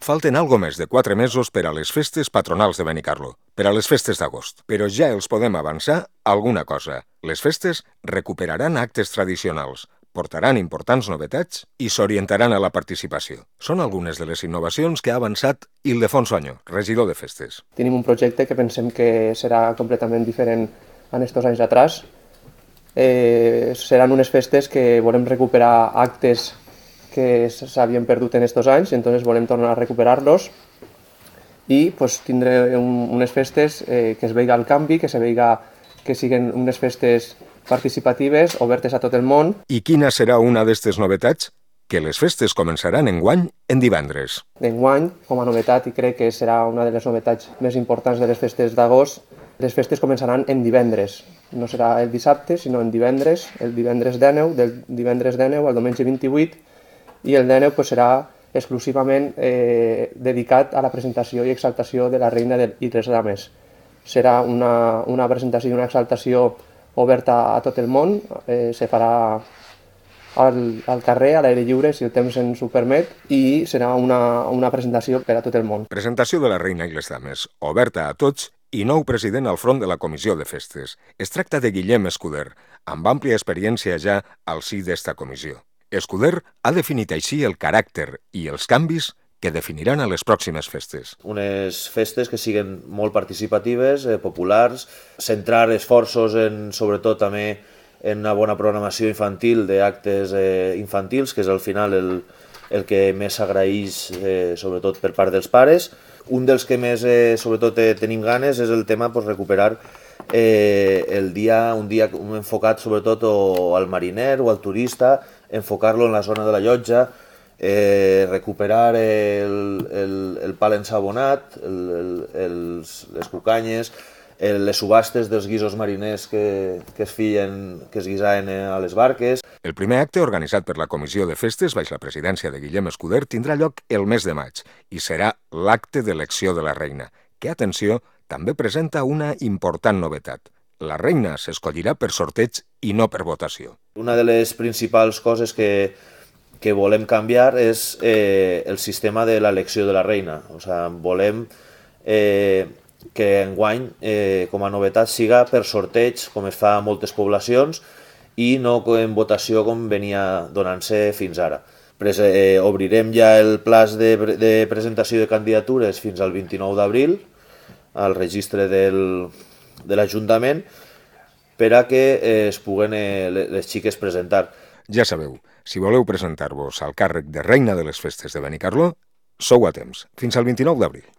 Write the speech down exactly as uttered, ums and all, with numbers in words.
Falten algo més de quatre mesos per a les festes patronals de Benicarló, per a les festes d'agost. Però ja els podem avançar alguna cosa. Les festes recuperaran actes tradicionals, portaran importants novetats i s'orientaran a la participació. Són algunes de les innovacions que ha avançat Ildefons Oño, regidor de festes. Tenim un projecte que pensem que serà completament diferent en estos anys atrás. Eh, seran unes festes que volem recuperar actes que s'havien perdut en estos anys, entonces volem tornar a recuperar-los i pues, tindre un, unes festes eh, que es veiga el canvi, que se veiga que siguin unes festes participatives, obertes a tot el món. I quina serà una d'aquestes novetats? Que les festes començaran enguany en divendres. Enguany, com a novetat, i crec que serà una de les novetats més importants de les festes d'agost, les festes començaran en divendres. No serà el dissabte, sinó en divendres, el divendres dinou, del divendres dinou al diumenge vint-i-vuit, i el dinou pues, serà exclusivament eh, dedicat a la presentació i exaltació de la reina de, i les dames. Serà una, una presentació i una exaltació oberta a tot el món, eh, se farà al, al carrer, a l'aire lliure, si el temps ens ho permet, i serà una, una presentació per a tot el món. Presentació de la reina i les dames, oberta a tots i nou president al front de la comissió de festes. Es tracta de Guillem Escuder, amb àmplia experiència ja al si d'esta comissió. Escuder ha definit així el caràcter i els canvis que definiran a les pròximes festes. Unes festes que siguin molt participatives, eh, populars, centrar esforços en, sobretot també en una bona programació infantil d'actes eh, infantils, que és al final el, el que més s'agraeix, eh, sobretot per part dels pares. Un dels que més, eh, sobretot, eh, tenim ganes és el tema pues, recuperar eh, el dia, un dia enfocat sobretot o al mariner o al turista, enfocar-lo en la zona de la llotja, eh, recuperar el, el, el pal ensabonat, el, el, els, les cucanyes, el, les subhastes dels guisos mariners que, que, es feien, que es guisaven a les barques. El primer acte organitzat per la Comissió de Festes, baix la presidència de Guillem Escuder, tindrà lloc el mes de maig i serà l'acte d'elecció de la reina, que, atenció, també presenta una important novetat. La reina s'escollirà per sorteig i no per votació. Una de les principals coses que, que volem canviar és eh, el sistema de l'elecció de la reina. O sigui, volem eh, que enguany, eh, com a novetat, siga per sorteig, com es fa a moltes poblacions, i no en votació com venia donant-se fins ara. Pres eh, obrirem ja el plaç de, de presentació de candidatures fins al vint-i-nou d'abril, al registre del, de l'Ajuntament, per a que eh, es puguen eh, les xiques presentar. Ja sabeu, si voleu presentar-vos al càrrec de reina de les festes de Benicarló, sou a temps, fins al vint-i-nou d'abril.